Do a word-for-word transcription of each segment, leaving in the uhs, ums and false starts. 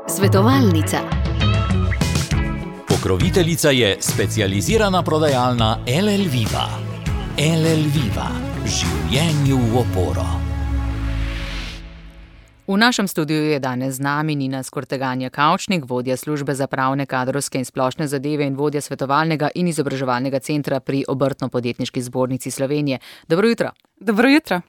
Svetovalnica. Pokroviteljica je specializirana prodajalna L L Viva. L L Viva. Življenju v oporo. V našem studiu je danes z nami Nina Skorteganja Kavčnik, vodja službe za pravne, kadrovske in splošne zadeve in vodja svetovalnega in izobraževalnega centra pri Obrtno-podjetniški zbornici Slovenije. Dobro jutro. Dobro jutro.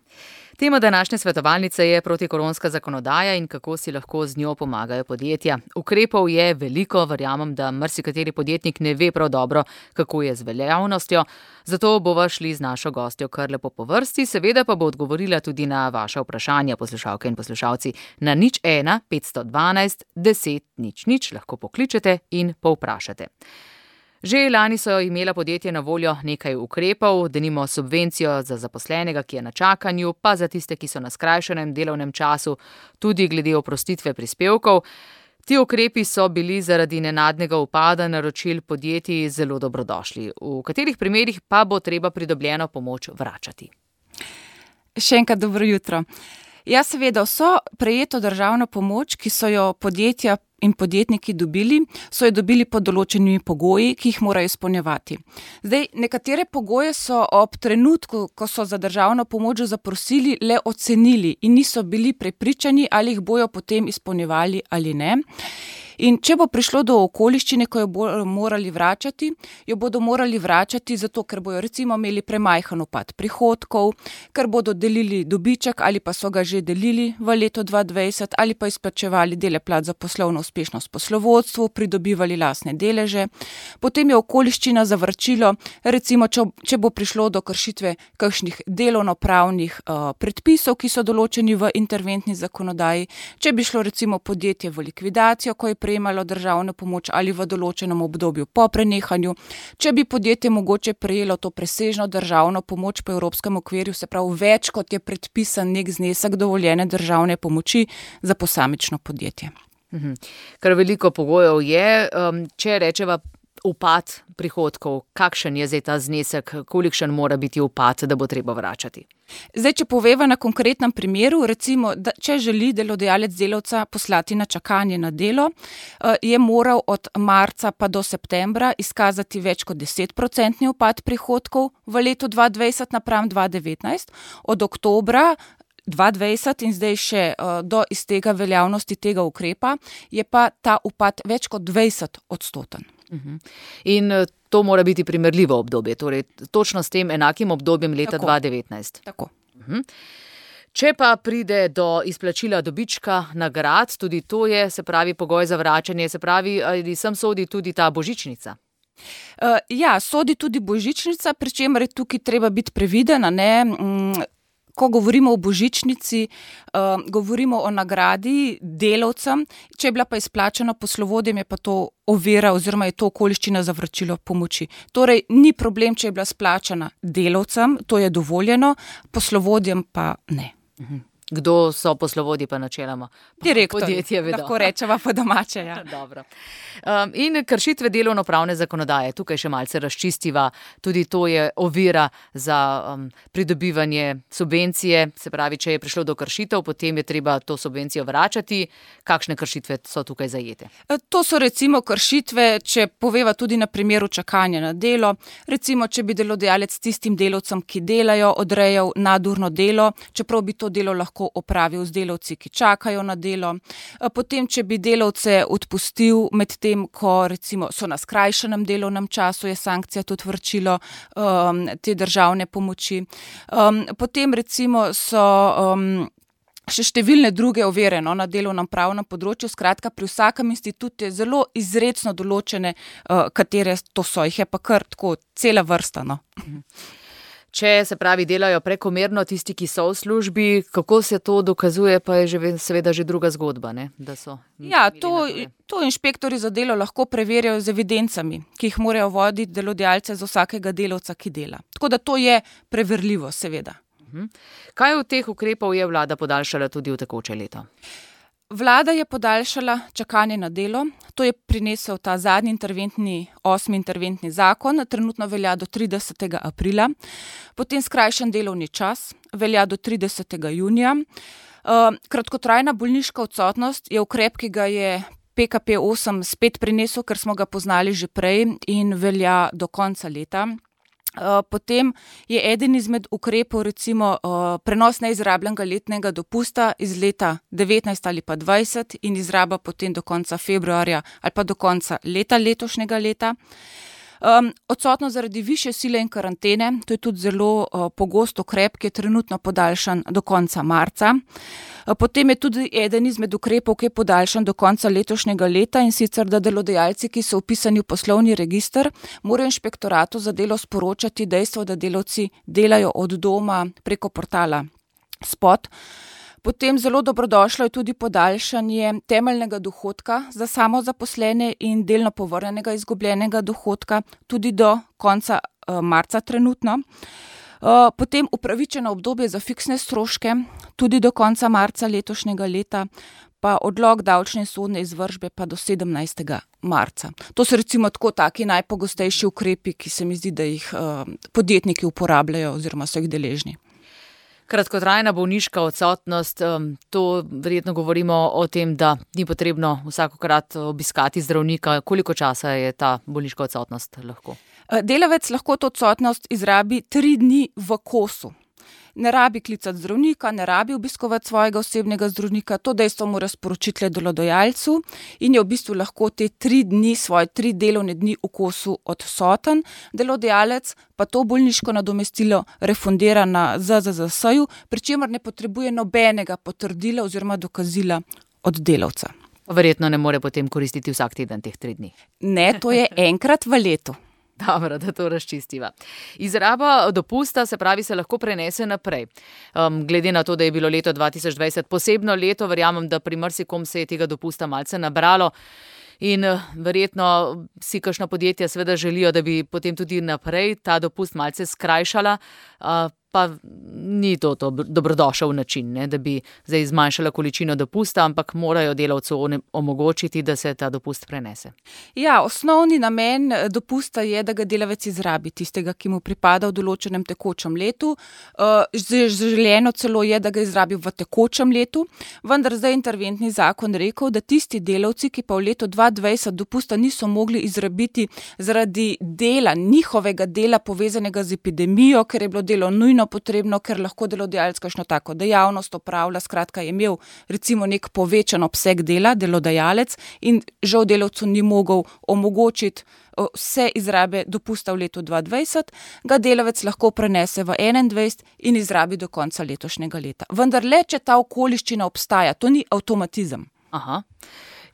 Tema današnje svetovalnice je protikoronska zakonodaja in kako si lahko z njo pomagajo podjetja. Ukrepov je veliko, verjamem, da marsikateri podjetnik ne ve prav dobro, kako je z veljavnostjo. Zato bova šli z našo gostjo kar lepo po vrsti, seveda pa bo odgovorila tudi na vaša vprašanja, poslušalke in poslušalci. Na nič ena petsto dvanajst deset nič nič lahko pokličete in povprašate. Že lani so imela podjetja na voljo nekaj ukrepov, denimo subvencijo za zaposlenega, ki je na čakanju, pa za tiste, ki so na skrajšanem delovnem času, tudi glede oprostitve prispevkov. Ti ukrepi so bili zaradi nenadnega upada naročil podjetij zelo dobrodošli. V katerih primerih pa bo treba pridobljeno pomoč vračati? Še enkrat dobro jutro. Ja, seveda, vso prejeto državno pomoč, ki so jo podjetja in podjetniki dobili, so jo dobili pod določenimi pogoji, ki jih morajo izpolnjevati. Zdaj, nekatere pogoje so ob trenutku, ko so za državno pomoč zaprosili, le ocenili in niso bili prepričani, ali jih bojo potem izpolnjevali ali ne. In če bo prišlo do okoliščine, ko jo bodo morali vračati, jo bodo morali vračati zato, ker bojo recimo imeli premajhen upad prihodkov, ker bodo delili dobiček ali pa so ga že delili v letu dva tisoč dvajset ali pa izplačevali dele plat za poslovno uspešnost poslovodstvu, pridobivali lastne deleže. Potem je okoliščina za vračilo, recimo, če, če bo prišlo do kršitve kakšnih delovnopravnih uh, predpisov, ki so določeni v interventni zakonodaji, če bi šlo recimo podjetje v likvidacijo, ko je prejemalo državno pomoč ali v določenem obdobju po prenehanju, če bi podjetje mogoče prejelo to presežno državno pomoč po evropskem okvirju, se pravi več, kot je predpisan nek znesek dovoljene državne pomoči za posamično podjetje. Mhm. Kar veliko pogojev je, um, če rečeva upad prihodkov, kakšen je zdaj ta znesek, kolikšen mora biti upad, da bo treba vračati? Zdaj, če poveva na konkretnem primeru, recimo, da če želi delodajalec delavca poslati na čakanje na delo, je moral od marca pa do septembra izkazati več kot deset procentni upad prihodkov v letu dva tisoč dvajset napram dva tisoč devetnajst, od oktobra dva tisoč dvajset in zdaj še uh, do iztega veljavnosti tega ukrepa, je pa ta upad več kot dvajset odstoten. Uh-huh. In to mora biti primerljivo obdobje, torej točno s tem enakim obdobjem leta Tako. dva tisoč devetnajst. Tako. Uh-huh. Če pa pride do izplačila dobička, nagrad, tudi to je, se pravi, pogoj za vračanje, se pravi, ali sem sodi tudi ta božičnica? Uh, ja, sodi tudi božičnica, pri čemer je tukaj treba biti previdena, ne? Mm, Ko govorimo o božičnici, uh, govorimo o nagradi delavcem, če je bila pa izplačena poslovodjem, je pa to ovira oziroma je to okoliščina za vračilo pomoči. Torej, ni problem, če je bila izplačena delavcem, to je dovoljeno, poslovodjem pa ne. Mhm. Kdo so poslovodji pa načeloma? Direktor, podjetje vedo. Lahko rečeva po domače. Ja. Dobro. Um, in kršitve delovnopravne zakonodaje, tukaj še malce razčistiva, tudi to je ovira za um, pridobivanje subvencije, se pravi, če je prišlo do kršitev, potem je treba to subvencijo vračati. Kakšne kršitve so tukaj zajete? To so recimo kršitve, če poveva tudi na primeru čakanja na delo, recimo, če bi delodajalec tistim delavcem, ki delajo, odrejal nadurno delo, čeprav bi to delo lahko opravil z delavci, ki čakajo na delo. Potem, če bi delavce odpustil med tem, ko recimo so na skrajšanem delovnem času, je sankcija tudi vračilo um, te državne pomoči. Um, potem recimo so um, še številne druge ovire no, na delovnem pravnem področju. Skratka, pri vsakem institutu je zelo izrecno določene, uh, katere to so. Jih je pa kar tako cela vrsta. No. Če se pravi delajo prekomerno tisti, ki so v službi, kako se to dokazuje, pa je že, seveda že druga zgodba, ne? Da so. Ja, to, to inšpektori za delo lahko preverjajo z evidencami, ki jih morajo voditi delodajalce za vsakega delavca, ki dela. Tako da to je preverljivo, seveda. Kaj od teh ukrepov je vlada podaljšala tudi v tekoče leto? Vlada je podaljšala čakanje na delo, to je prinesel ta zadnji interventni, osmi interventni zakon, trenutno velja do tridesetega aprila, potem skrajšan delovni čas, velja do tridesetega junija, Kratkotrajna bolniška odsotnost je ukrep, ki ga je P K P osem spet prinesel, ker smo ga poznali že prej in velja do konca leta. Potem je eden izmed ukrepov recimo prenos neizrabljenega letnega dopusta iz leta devetnajst ali pa dvajset in izraba potem do konca februarja ali pa do konca leta letošnjega leta. Um, odsotnost zaradi višje sile in karantene, to je tudi zelo uh, pogost ukrep, ki je trenutno podaljšan do konca marca. Uh, potem je tudi eden izmed ukrepov, ki je podaljšan do konca letošnjega leta in sicer, da delodajalci, ki so vpisani v poslovni register, morajo inšpektoratu za delo sporočati dejstvo, da delavci delajo od doma preko portala Spot. Potem zelo dobrodošlo je tudi podaljšanje temeljnega dohodka za samozaposlene in delno povrnjenega izgubljenega dohodka tudi do konca uh, marca trenutno. Uh, potem upravičeno obdobje za fiksne stroške tudi do konca marca letošnjega leta, pa odlog davčne in sodne izvršbe pa do sedemnajstega marca. To so recimo tako taki najpogostejši ukrepi, ki se mi zdi, da jih uh, podjetniki uporabljajo oziroma so jih deležni. Kratkotrajna bolniška odsotnost, to verjetno govorimo o tem, da ni potrebno vsakokrat obiskati zdravnika. Koliko časa je ta bolniška odsotnost lahko? Delavec lahko to odsotnost izrabi tri dni v kosu. Ne rabi klicati zdravnika, ne rabi obiskovati svojega osebnega zdravnika, to dejstvo mora sporočiti le delodajalcu in je v bistvu lahko te tri dni, svoje tri delovne dni v kosu odsoten. Delodajalec pa to bolniško nadomestilo refundira na Z Z Z S-ju, pri čemer ne potrebuje nobenega potrdila oziroma dokazila od delavca. Verjetno ne more potem koristiti vsak teden teh tri dni. Ne, to je enkrat v letu. Dobro, da to razčistiva. Izraba dopusta, se pravi, se lahko prenese naprej. Um, glede na to, da je bilo leto dva tisoč dvajset posebno leto, verjamem, da pri marsikom se je tega dopusta malce nabralo in uh, verjetno si kakšna podjetja seveda želijo, da bi potem tudi naprej ta dopust malce skrajšala, uh, pa ni to, to dobrodošel način, ne, da bi zdaj zmanjšala količino dopusta, ampak morajo delavcu omogočiti, da se ta dopust prenese. Ja, osnovni namen dopusta je, da ga delavec izrabi, tistega, ki mu pripada v določenem tekočem letu. Želeno celo je, da ga izrabi v tekočem letu, vendar zdaj interventni zakon rekel, da tisti delavci, ki pa v letu dva tisoč dvajset dopusta niso mogli izrabiti zaradi dela, njihovega dela povezanega z epidemijo, ker je bilo delo nujno potrebno, ker lahko delodajalec kakšno tako dejavnost opravlja, skratka je imel recimo nek povečan obseg dela, delodajalec in žal delavcu ni mogel omogočiti vse izrabe dopusta v letu dva tisoč dvajset, ga delavec lahko prenese v enaindvajset in izrabi do konca letošnjega leta. Vendar le, če ta okoliščina obstaja, to ni avtomatizem. Aha.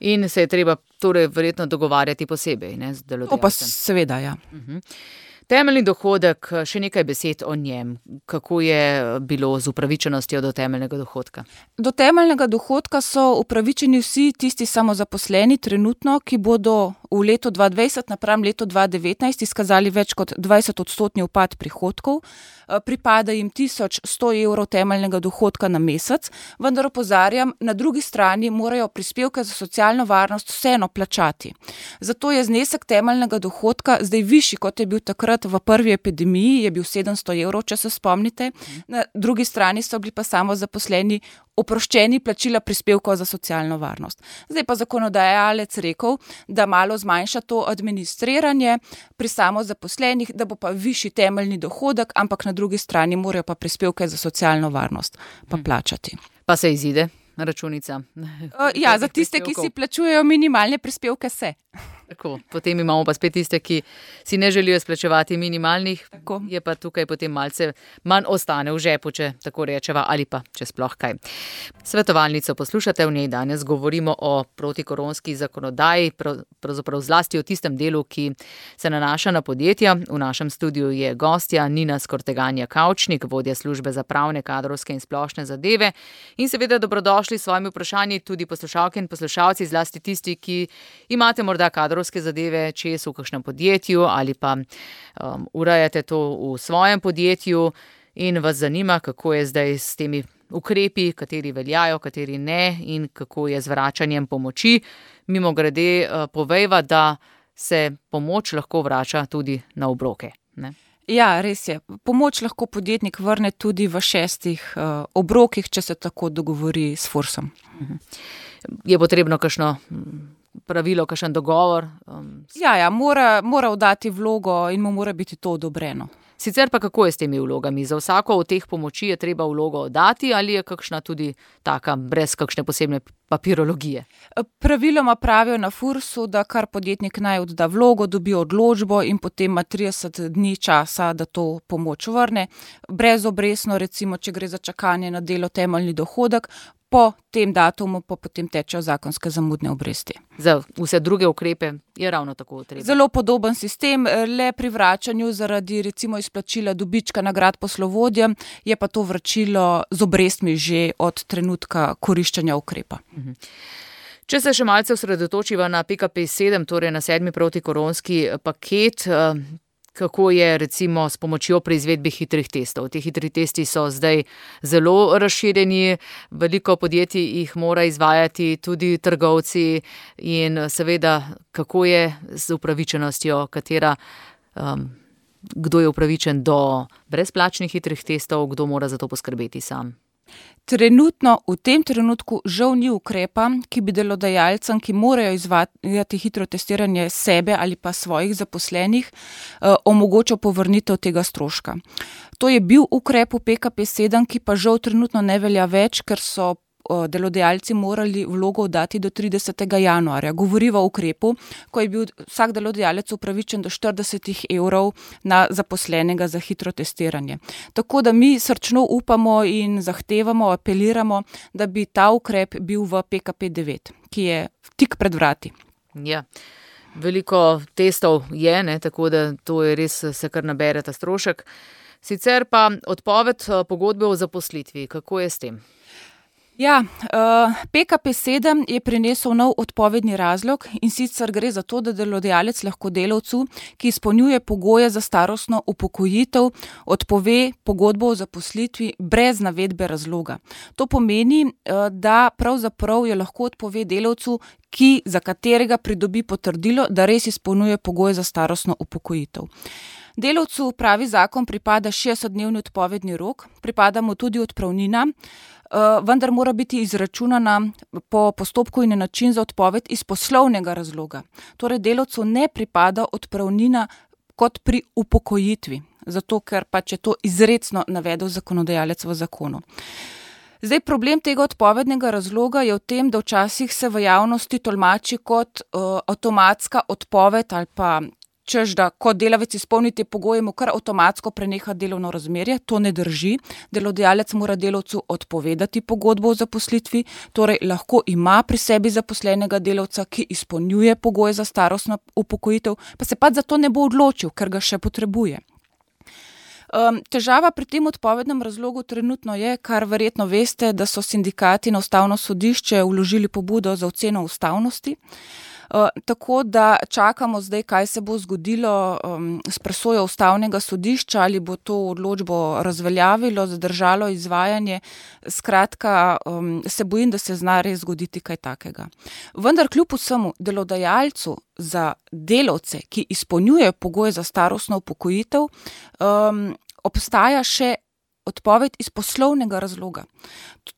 In se je treba torej verjetno dogovarjati posebej, ne, z delodajalcem. To pa seveda, ja. Uh-huh. Temeljni dohodek, še nekaj besed o njem. Kako je bilo z upravičenostjo do temeljnega dohodka? Do temeljnega dohodka so upravičeni vsi tisti samozaposleni trenutno, ki bodo v letu dva tisoč dvajset napram letu dva tisoč devetnajst izkazali več kot dvajset odstotni upad prihodkov. Pripada jim tisoč sto evrov temeljnega dohodka na mesec, vendar opozarjam, na drugi strani morajo prispevke za socialno varnost vseeno plačati. Zato je znesek temeljnega dohodka zdaj višji, kot je bil takrat v prvi epidemiji, je bil sedemsto evrov, če se spomnite. Na drugi strani so bili pa samozaposleni oproščeni plačila prispevkov za socialno varnost. Zdaj pa zakonodajalec rekel, da malo zmanjša to administriranje pri samozaposlenih, da bo pa višji temeljni dohodek, ampak na drugi strani morajo pa prispevke za socialno varnost pa plačati. Pa se izide računica? Uh, ja, za tiste, ki si plačujejo minimalne prispevke, se. Tako, potem imamo pa spet tiste, ki si ne želijo splačevati minimalnih, tako. Je pa tukaj potem malce manj ostane v žepu, če tako rečeva, ali pa če sploh kaj. Svetovalnico poslušate, v njej danes govorimo o protikoronski zakonodaji, pravzaprav zlasti o tistem delu, ki se nanaša na podjetja. V našem studiu je gostja Nina Skorteganja Kavčnik, vodja službe za pravne, kadrovske in splošne zadeve. In seveda dobrodošli s svojimi vprašanji tudi poslušalke in poslušalci, zlasti tisti, ki imate morda kadrovske zadeve, čez v kakšnem podjetju ali pa um, urejate to v svojem podjetju in vas zanima, kako je zdaj s temi ukrepi, kateri veljajo, kateri ne in kako je z vračanjem pomoči. Mimogrede uh, povejva, da se pomoč lahko vrača tudi na obroke, ne? Ja, res je. Pomoč lahko podjetnik vrne tudi v šestih uh, obrokih, če se tako dogovori s Fursom. Je potrebno kakšno pravilo, kakšen dogovor? Um, ja, ja, mora, mora oddati vlogo in mu mora biti to odobreno. Sicer pa kako je s temi vlogami? Za vsako od teh pomoči je treba vlogo oddati ali je kakšna tudi taka, brez kakšne posebne papirologije? Praviloma pravijo na Fursu, da kar podjetnik naj odda vlogo, dobi odločbo in potem ima trideset dni časa, da to pomoč vrne. Brezobresno, recimo, če gre za čakanje na delo temeljni dohodek, po tem datumu pa potem tečejo zakonske zamudne obresti. Za vse druge ukrepe je ravno tako treba. Zelo podoben sistem, le pri vračanju zaradi recimo izplačila dobička nagrad poslovodjem je pa to vračilo z obrestmi že od trenutka koriščenja ukrepa. Mhm. Če se še malce osredotočiva na P K P sedem, torej na sedmi protikoronski paket, kako je recimo s pomočjo pri izvedbi hitrih testov. Ti hitri testi so zdaj zelo razširjeni, veliko podjetij jih mora izvajati, tudi trgovci in seveda, kako je z upravičenostjo, katera, um, kdo je upravičen do brezplačnih hitrih testov, kdo mora za to poskrbeti sam. Trenutno, v tem trenutku žal ni ukrepa, ki bi delodajalcem, ki morajo izvajati hitro testiranje sebe ali pa svojih zaposlenih, eh, omogočal povrnitev tega stroška. To je bil ukrep v P K P sedem, ki pa žal trenutno ne velja več, ker so delodajalci morali vlogo oddati do tridesetega januarja. Govoriva o ukrepu, ko je bil vsak delodajalec upravičen do štirideset evrov na zaposlenega za hitro testiranje. Tako da mi srčno upamo in zahtevamo, apeliramo, da bi ta ukrep bil v P K P devet, ki je tik pred vrati. Ja. Veliko testov je, ne, tako da to je res, se kar nabere ta strošek. Sicer pa odpoved pogodbe o zaposlitvi, kako je s tem? Ja, P K P sedem je prinesel nov odpovedni razlog in sicer gre za to, da delodajalec lahko delavcu, ki izpolnjuje pogoje za starostno upokojitev, odpove pogodbo o zaposlitvi brez navedbe razloga. To pomeni, da pravzaprav je lahko odpove delavcu, ki, za katerega pridobi potrdilo, da res izpolnjuje pogoje za starostno upokojitev. Delavcu, pravi zakon, pripada šestdesetdnevni odpovedni rok, pripada mu tudi odpravnina, vendar mora biti izračunana po postopku in način za odpoved iz poslovnega razloga. Torej delavcu ne pripada odpravnina kot pri upokojitvi, zato ker pač je to izrecno navedel zakonodajalec v zakonu. Zdaj, problem tega odpovednega razloga je v tem, da včasih se v javnosti tolmači kot uh, avtomatska odpoved ali pa češ, da ko delavec izpolni te pogoje, mu kar avtomatsko preneha delovno razmerje. To ne drži. Delodajalec mora delavcu odpovedati pogodbo o zaposlitvi, torej lahko ima pri sebi zaposlenega delavca, ki izpolnjuje pogoje za starostno upokojitev, pa se pa za to ne bo odločil, ker ga še potrebuje. Um, težava pri tem odpovednem razlogu trenutno je, kar verjetno veste, da so sindikati na Ustavno sodišče vložili pobudo za oceno ustavnosti. Uh, tako da čakamo zdaj, kaj se bo zgodilo um, s presojo Ustavnega sodišča, ali bo to odločbo razveljavilo, zadržalo izvajanje. Skratka, um, se bojim, da se zna res zgoditi kaj takega. Vendar kljub vsemu delodajalcu za delavce, ki izpolnjujejo pogoje za starostno upokojitev, um, obstaja še odpoved iz poslovnega razloga.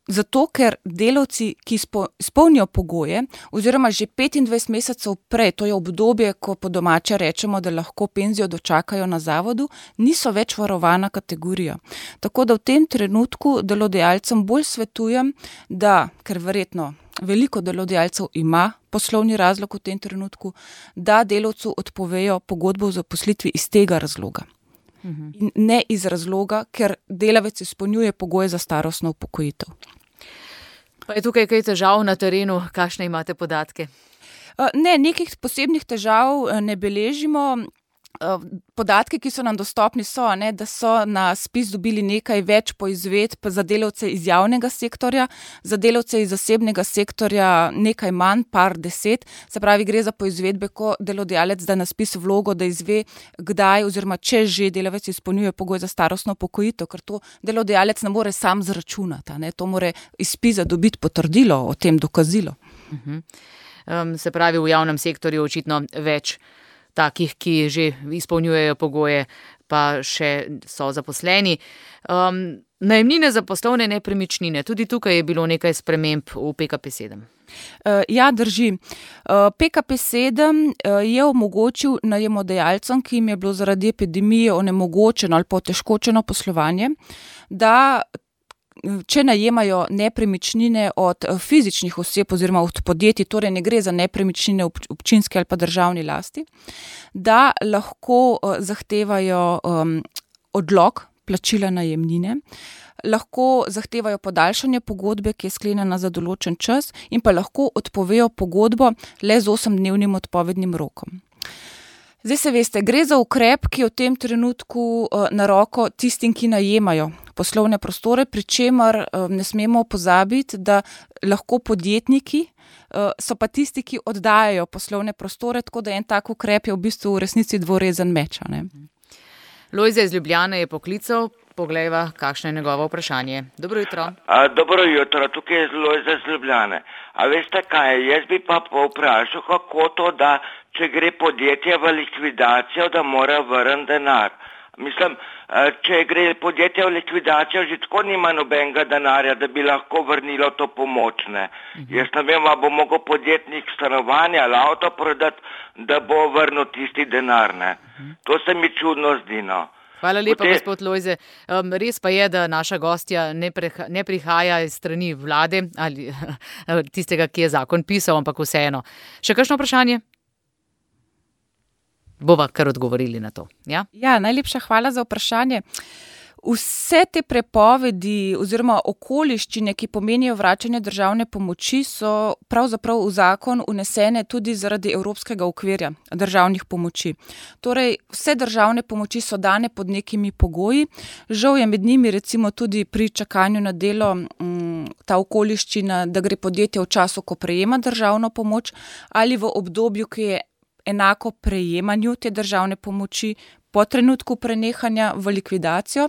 Zato, ker delavci, ki izpolnijo pogoje, oziroma že petindvajset mesecev prej, to je obdobje, ko po domače rečemo, da lahko penzijo dočakajo na zavodu, niso več varovana kategorija. Tako da v tem trenutku delodajalcem bolj svetujem, da, ker verjetno veliko delodajalcev ima poslovni razlog v tem trenutku, da delavcu odpovejo pogodbo o zaposlitvi iz tega razloga. In ne iz razloga, ker delavec izpolnjuje pogoje za starostno upokojitev. Pa je tukaj kaj težav na terenu, kakšne imate podatke? Ne, nekih posebnih težav ne beležimo. Podatki, ki so nam dostopni, so, ne, da so na spis dobili nekaj več poizvedb za delavce iz javnega sektorja, za delavce iz zasebnega sektorja nekaj manj, par deset. Se pravi, gre za poizvedbe, ko delodajalec da na spis vlogo, da izve, kdaj oziroma če že delavec izpolnjuje pogoj za starostno upokojitev, ker to delodajalec ne more sam zračunati, ne, to more iz spisa dobiti potrdilo o tem dokazilo. Uh-huh. Um, se pravi, v javnem sektorju očitno več takih, ki že izpolnjujejo pogoje, pa še so zaposleni. Um, najemnine za poslovne nepremičnine, tudi tukaj je bilo nekaj sprememb v P K P sedem. Ja, drži. P K P sedem je omogočil najemodajalcem, ki jim je bilo zaradi epidemije onemogočeno ali pa otežkočeno poslovanje, da če najemajo nepremičnine od fizičnih oseb oziroma od podjetij, torej ne gre za nepremičnine občinske ali pa državni lasti, da lahko zahtevajo um, odlog plačila najemnine, lahko zahtevajo podaljšanje pogodbe, ki je sklenjena za določen čas, in pa lahko odpovejo pogodbo le z osemdnevnim odpovednim rokom. Zdaj se veste, gre za ukrep, ki je v tem trenutku uh, na roko tistim, ki najemajo poslovne prostore, pri čemer uh, ne smemo pozabiti, da lahko podjetniki uh, so pa tisti, ki oddajajo poslovne prostore, tako da en tak ukrep je v bistvu v resnici dvorezen meč. Ne? Lojze iz Ljubljane je poklical, poglejva, kakšno je njegovo vprašanje. Dobro jutro. A, dobro jutro, tukaj je Lojze iz Ljubljane. A veste kaj, jaz bi pa povprašal, kako to, da če gre podjetje v likvidacijo, da mora vrniti denar. Mislim, če gre podjetje v likvidacijo, že tako nima nobenega denarja, da bi lahko vrnilo to pomoč. Ne? Uh-huh. Jaz ne vem, a bo mogel podjetnik stanovanja ali avto prodati, da bo vrnil tisti denar. Ne? Uh-huh. To se mi čudno zdi, no. Hvala lepa, Potem... gospod Lojze. Um, res pa je, da naša gostja ne, preha, ne prihaja iz strani vlade ali tistega, ki je zakon pisal, ampak vseeno. Še kakšno vprašanje? Bova kar odgovorili na to. Ja? Ja, najlepša hvala za vprašanje. Vse te prepovedi oziroma okoliščine, ki pomenijo vračanje državne pomoči, so pravzaprav v zakon unesene tudi zaradi evropskega okvirja državnih pomoči. Torej, vse državne pomoči so dane pod nekimi pogoji. Žal je med njimi recimo tudi pri čakanju na delo m, ta okoliščina, da gre podjetje v času, ko prejema državno pomoč, ali v obdobju, ki je enako prejemanju te državne pomoči po trenutku prenehanja v likvidacijo.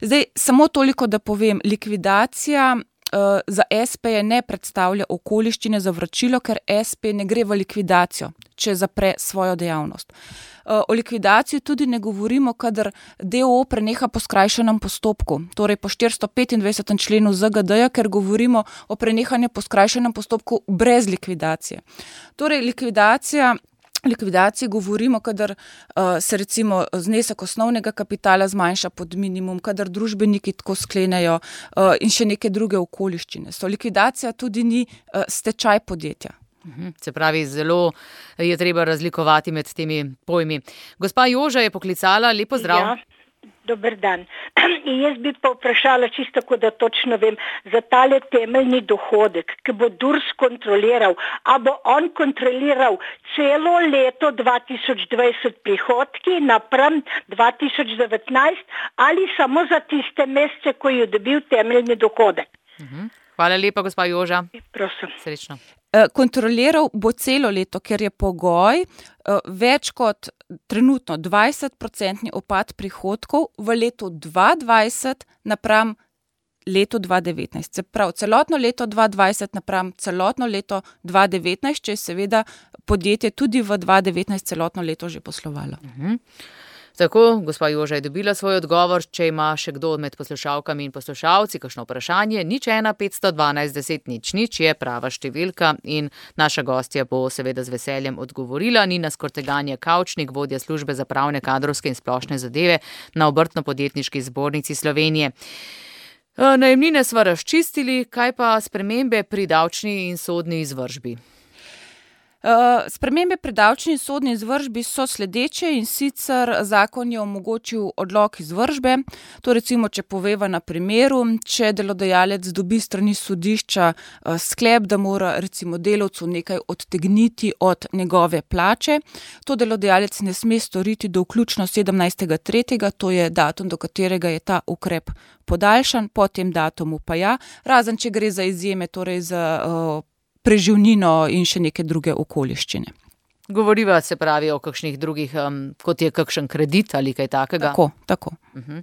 Zdaj, samo toliko, da povem, likvidacija uh, za es pe ne predstavlja okoliščine za vračilo, ker es pe ne gre v likvidacijo, če zapre svojo dejavnost. Uh, o likvidaciji tudi ne govorimo, kadar de o o preneha po skrajšanem postopku, torej po štiristo petindvajsetem členu zet ge de-ja, ker govorimo o prenehanju po skrajšanem postopku brez likvidacije. Torej, likvidacija likvidaciji govorimo, kadar uh, se recimo znesek osnovnega kapitala zmanjša pod minimum, kadar družbeniki tako sklenejo uh, in še neke druge okoliščine. So likvidacija tudi ni uh, stečaj podjetja. Se pravi, zelo je treba razlikovati med temi pojmi. Gospa Joža je poklicala, lepo zdrav. Ja. Dober dan. In jaz bi pa vprašala čisto tako, da točno vem, za tale temeljni dohodek, ki bo Durs kontroliral, a bo on kontroliral celo leto dva tisoč dvajset prihodki napram dva tisoč devetnajst ali samo za tiste mesece, ko je dobil temeljni dohodek? Uh-huh. Hvala lepa, gospa Joža. Prosim. Srečno. Kontroliral bo celo leto, ker je pogoj več kot trenutno dvajset procentni upad prihodkov v letu dva tisoč dvajset napram letu dva tisoč devetnajst. Se pravi, celotno leto dva tisoč dvajset napram celotno leto dva tisoč devetnajst, če je seveda podjetje tudi v dva tisoč devetnajst celotno leto že poslovalo. Uh-huh. Tako, gospa Joža je dobila svoj odgovor. Če ima še kdo med poslušalkami in poslušalci kakšno vprašanje, nič ena petsto dvanajst deset nič nič je prava številka in naša gostja bo seveda z veseljem odgovorila. Nina Skorteganje Kavčnik, vodja službe za pravne, kadrovske in splošne zadeve na Obrtno-podjetniški zbornici Slovenije. Najemnine sva razčistili, kaj pa spremembe pri davčni in sodni izvršbi? Uh, spremembe pri davčni in sodni izvršbi so sledeče, in sicer zakon je omogočil odlog izvršbe. To recimo, če poveva na primeru, če delodajalec dobi strani sodišča uh, sklep, da mora recimo delavcu nekaj odtegniti od njegove plače, to delodajalec ne sme storiti do vključno sedemnajstega tretjega, to je datum, do katerega je ta ukrep podaljšan, po tem datumu pa ja, razen če gre za izjeme, torej za uh, preživnino in še neke druge okoliščine. Govoriva se pravi o kakšnih drugih, um, kot je kakšen kredit ali kaj takega. Tako, tako. Uh-huh.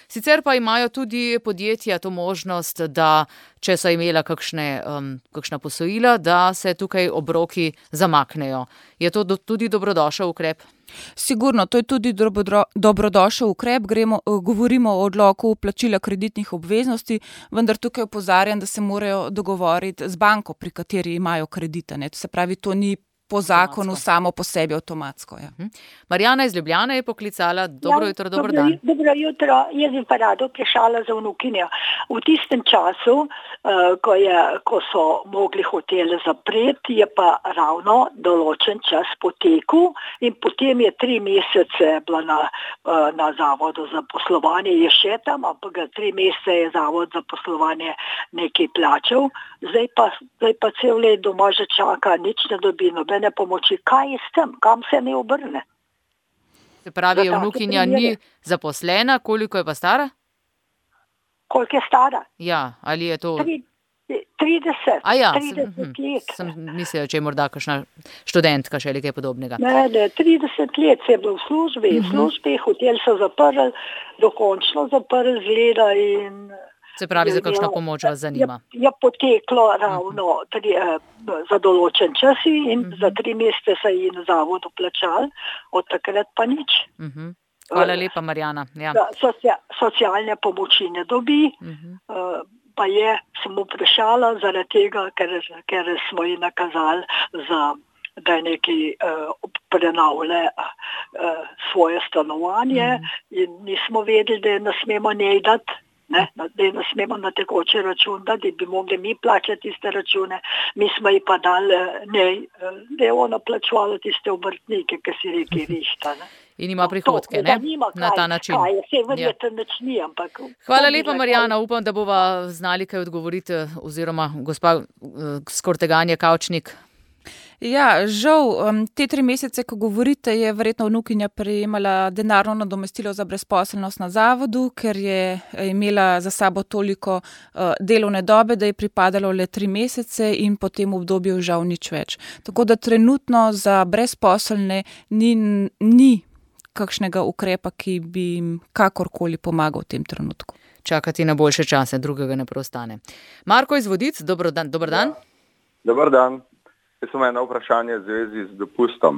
Sicer pa imajo tudi podjetja to možnost, da če so imela kakšne, um, kakšna posojila, da se tukaj obroki zamaknejo. Je to do, tudi dobrodošel ukrep? Sigurno, to je tudi dobro, dobrodošel ukrep. Gremo, govorimo o odloku plačila kreditnih obveznosti, vendar tukaj opozarjam, da se morajo dogovoriti z banko, pri kateri imajo kredite. Ne? To se pravi, to ni po zakonu avtomatsko. Samo po sebi avtomatsko. Ja. Uh-huh. Marjana iz Ljubljane je poklicala. Dobro ja, jutro, dober dobro, dan. Dobro jutro, jaz bi pa rado vprašala za vnukinjo. V tistem času, uh, ko, je, ko so mogli hotele zapreti, je pa ravno določen čas potekel in potem je tri mesece bila na, uh, na zavodu za poslovanje, je še tam, ampak tri mesece je zavod za poslovanje nekaj plačal. Zdaj pa, zdaj pa cel let doma že čaka, nič ne dobi, nobene pomoči. Kaj je s tem? Kam se ne obrne? Se pravi, vnukinja ni zaposlena, koliko je pa stara? Koliko je stara? Ja, ali je to... trideset, A ja, trideset sem, let. Sem mislila, če je morda kakšna študentka še ali kaj podobnega. Ne, ne, trideset let se je bilo v službi, v službi, hotel so zaprli, dokončno zaprli zgleda in... Se pravi, za kakšno pomoč vas zanima? Je, je poteklo ravno tri, eh, za določen čas in uh-huh. za tri mesece se je na zavodu plačal, od takrat pa nič. Uh-huh. Hvala lepa, Marjana. Ja. Socia, socialne pomoči ne dobi, uh-huh. uh, pa je samo vprašala zaradi tega, ker, ker smo ji nakazali, za, da je nekaj uh, prenavlja uh, svoje stanovanje uh-huh. in nismo vedeli, da ne smemo njej dati. Ne, da ne smemo na tekoče račun, da bi mogli mi plačati tiste račune. Mi smo ji pa dali, ne, da je ona plačvala tiste obrtnike, ki si reki rišta. Ne. In ima prihodke, to, ne? Nima, kaj, na ta način. Kaj, vse verjetno nič ni, ampak... Hvala lepa, Marjana. Upam, da bova znali kaj odgovoriti, oziroma gospa Skorteganje Kavčnik. Ja, žal, te tri mesece, ko govorite, je verjetno vnukinja prejemala denarno nadomestilo za brezposelnost na zavodu, ker je imela za sabo toliko delovne dobe, da je pripadalo le tri mesece in po tem obdobju žal nič več. Tako da trenutno za brezposelne ni, ni kakšnega ukrepa, ki bi jim kakorkoli pomagal v tem trenutku. Čakati na boljše čase, drugega ne preostane. Marko iz Vodic, dober dan. Dober dan. Ja. Dobar dan. Jaz sem eno vprašanje v zvezi z dopustom.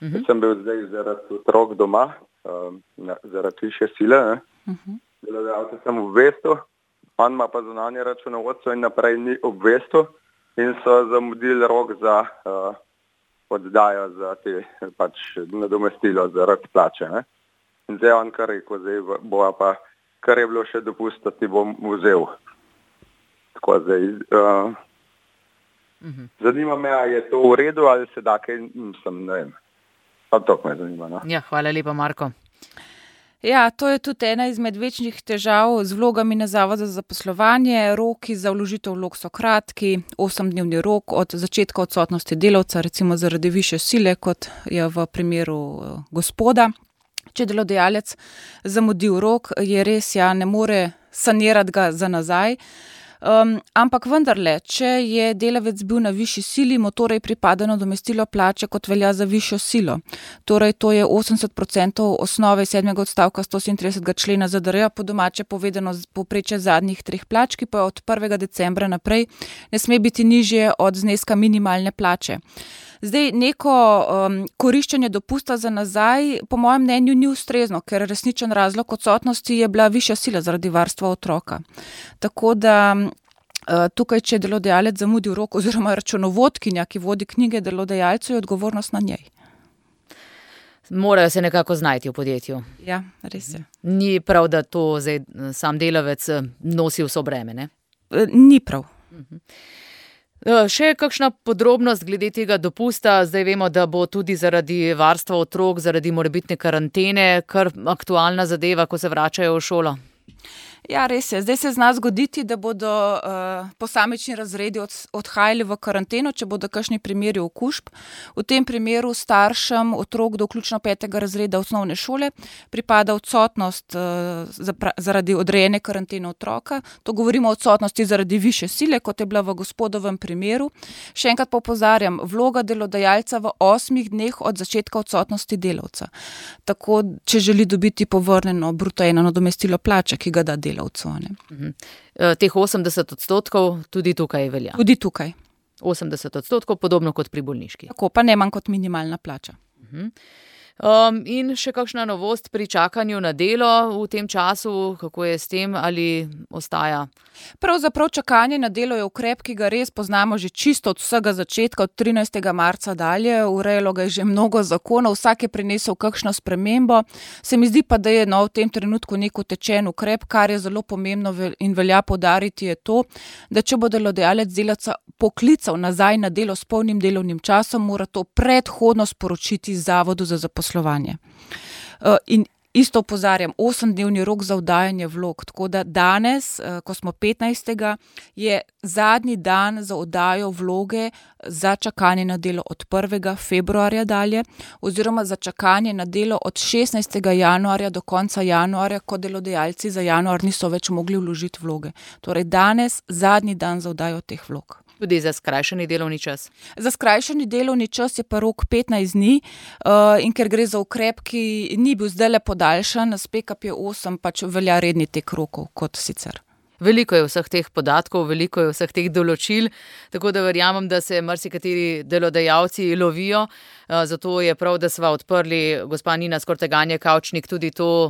Uh-huh. Jaz sem bil zdaj zaradi otrok doma, um, zaradi više sile. Uh-huh. Delodajalca sem obvestil, on ima pa zunanje računovodstvo in naprej ni obvestil in so zamudili rok za uh, oddajo za te pač nadomestilo zaradi plače. Ne? In zdaj on kar rekel, zdaj bo pa, kar je bilo še dopusta, ti bom vzel. Tako zdaj... Uh, Uhum. Zanima me, ali je to v redu ali se da kaj, nisem, ne vem. Pa to me zanima. No? Ja, hvala lepa, Marko. Ja, to je tudi ena izmed večjih težav z vlogami na Zavodu za zaposlovanje. Roki za vložitev vlog so kratki, osemdnevni rok od začetka odsotnosti delavca, recimo zaradi višje sile, kot je v primeru gospoda. Če delodajalec zamudi rok, je res, ja, ne more sanirati ga za nazaj. Um, ampak vendarle, če je delavec bil na višji sili, mu torej pripada nadomestilo plače, kot velja za višjo silo. Torej, to je osemdeset procentov osnove sedmega odstavka stosedemintridesetega člena Z D R-ja, po domače povedano povprečje zadnjih treh plač, ki pa od prvega decembra naprej ne sme biti nižje od zneska minimalne plače. Zdaj, neko um, koriščenje dopusta za nazaj, po mojem mnenju, ni ustrezno, ker resničen razlog odsotnosti je bila višja sila zaradi varstva otroka. Tako da uh, tukaj, če je delodajalec zamudil rok oziroma računovodkinja, ki vodi knjige delodajalcu, je odgovornost na njej. Morajo se nekako znajti v podjetju. Ja, res je. Ni prav, da to zdaj sam delavec nosi vso breme, ne? Ni prav. Uh-huh. Še kakšna podrobnost glede tega dopusta? Zdaj vemo, da bo tudi zaradi varstva otrok, zaradi morebitne karantene, kar aktualna zadeva, ko se vračajo v šolo. Ja, res je. Zdaj se zna zgoditi, da bodo uh, posamični razredi od, odhajali v karanteno, če bodo kakšni primeri okužb. V tem primeru staršem otrok do vključno petega razreda osnovne šole pripada odsotnost uh, zapra, zaradi odrejene karantene otroka. To govorimo o odsotnosti zaradi višje sile, kot je bila v gospodovem primeru. Še enkrat pa opozarjam, vloga delodajalca v osmih dneh od začetka odsotnosti delavca. Tako, če želi dobiti povrnjeno bruto eno nadomestilo plače, ki ga da delavcu. Uh-huh. Teh osemdeset odstotkov tudi tukaj velja? Tudi tukaj. osemdeset odstotkov, podobno kot pri bolniški. Tako, pa ne manj kot minimalna plača. Uh-huh. Um, in še kakšna novost pri čakanju na delo v tem času, kako je s tem, ali ostaja? Pravzaprav čakanje na delo je ukrep, ki ga res poznamo že čisto od vsega začetka, od trinajstega marca dalje, urejalo ga je že mnogo zakonov, vsak je prinesel kakšno spremembo. Se mi zdi pa, da je no, v tem trenutku nek utečen ukrep, kar je zelo pomembno in velja poudariti je to, da če bo delodajalec delavca poklical nazaj na delo s polnim delovnim časom, mora to predhodno sporočiti Zavodu za zaposlovanje. In isto opozarjam, osemdnevni rok za oddajanje vlog, tako da danes, ko smo petnajstega, je zadnji dan za oddajo vloge za čakanje na delo od prvega februarja dalje, oziroma za čakanje na delo od šestnajstega januarja do konca januarja, ko delodajalci za januar niso več mogli vložiti vloge. Torej danes zadnji dan za oddajo teh vlog. Tudi za skrajšani delovni čas? Za skrajšani delovni čas je pa rok petnajst dni uh, in ker gre za ukrep, ki ni bil zdaj le podaljšan, s P K P osem pač velja redni tek rokov kot sicer. Veliko je vseh teh podatkov, veliko je vseh teh določil, tako da verjamem, da se marsikateri delodajalci lovijo. Zato je prav, da sva odprli, gospa Nina Skorteganje Kavčnik, tudi to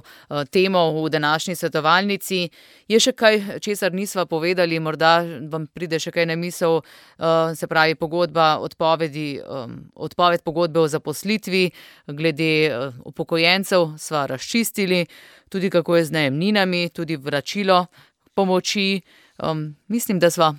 temo v današnji svetovalnici. Je še kaj, česar nisva povedali, morda vam pride še kaj na misel, se pravi pogodba, odpovedi, odpoved pogodbe o zaposlitvi, glede upokojencev sva razčistili, tudi kako je z najemninami, tudi vračilo pomoči. Um, mislim, da sva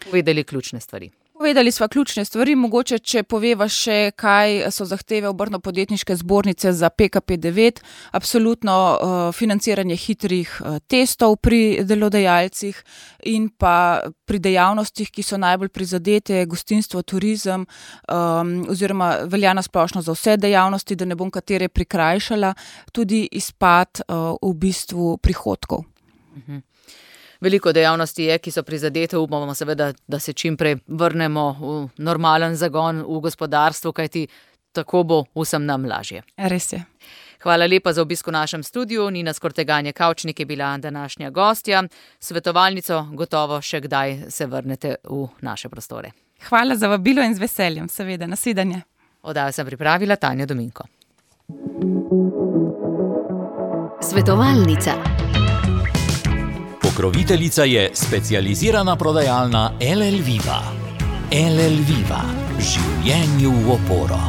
povedali ključne stvari. Povedali sva ključne stvari, mogoče, če poveva še, kaj so zahteve Obrtno-podjetniške zbornice za P K P devet, absolutno uh, financiranje hitrih uh, testov pri delodajalcih in pa pri dejavnostih, ki so najbolj prizadete, gostinstvo, turizem, um, oziroma velja na splošno za vse dejavnosti, da ne bom katere prikrajšala, tudi izpad uh, v bistvu prihodkov. Uh-huh. Veliko dejavnosti je, ki so prizadete, upamo seveda, da se čim prej vrnemo v normalen zagon v gospodarstvu, kajti tako bo vsem nam lažje. Res je. Hvala lepa za obisk v našem studiu. Nina Skorteganje Kavčnik je bila današnja gostja. Svetovalnico gotovo še kdaj se vrnete v naše prostore. Hvala za vabilo in z veseljem, seveda. Nasvidenje. Oddajo sem pripravila Tanja Dominko. Svetovalnica. Pokroviteljica je specializirana prodajalna L L Viva. L L Viva. Življenju v oporo.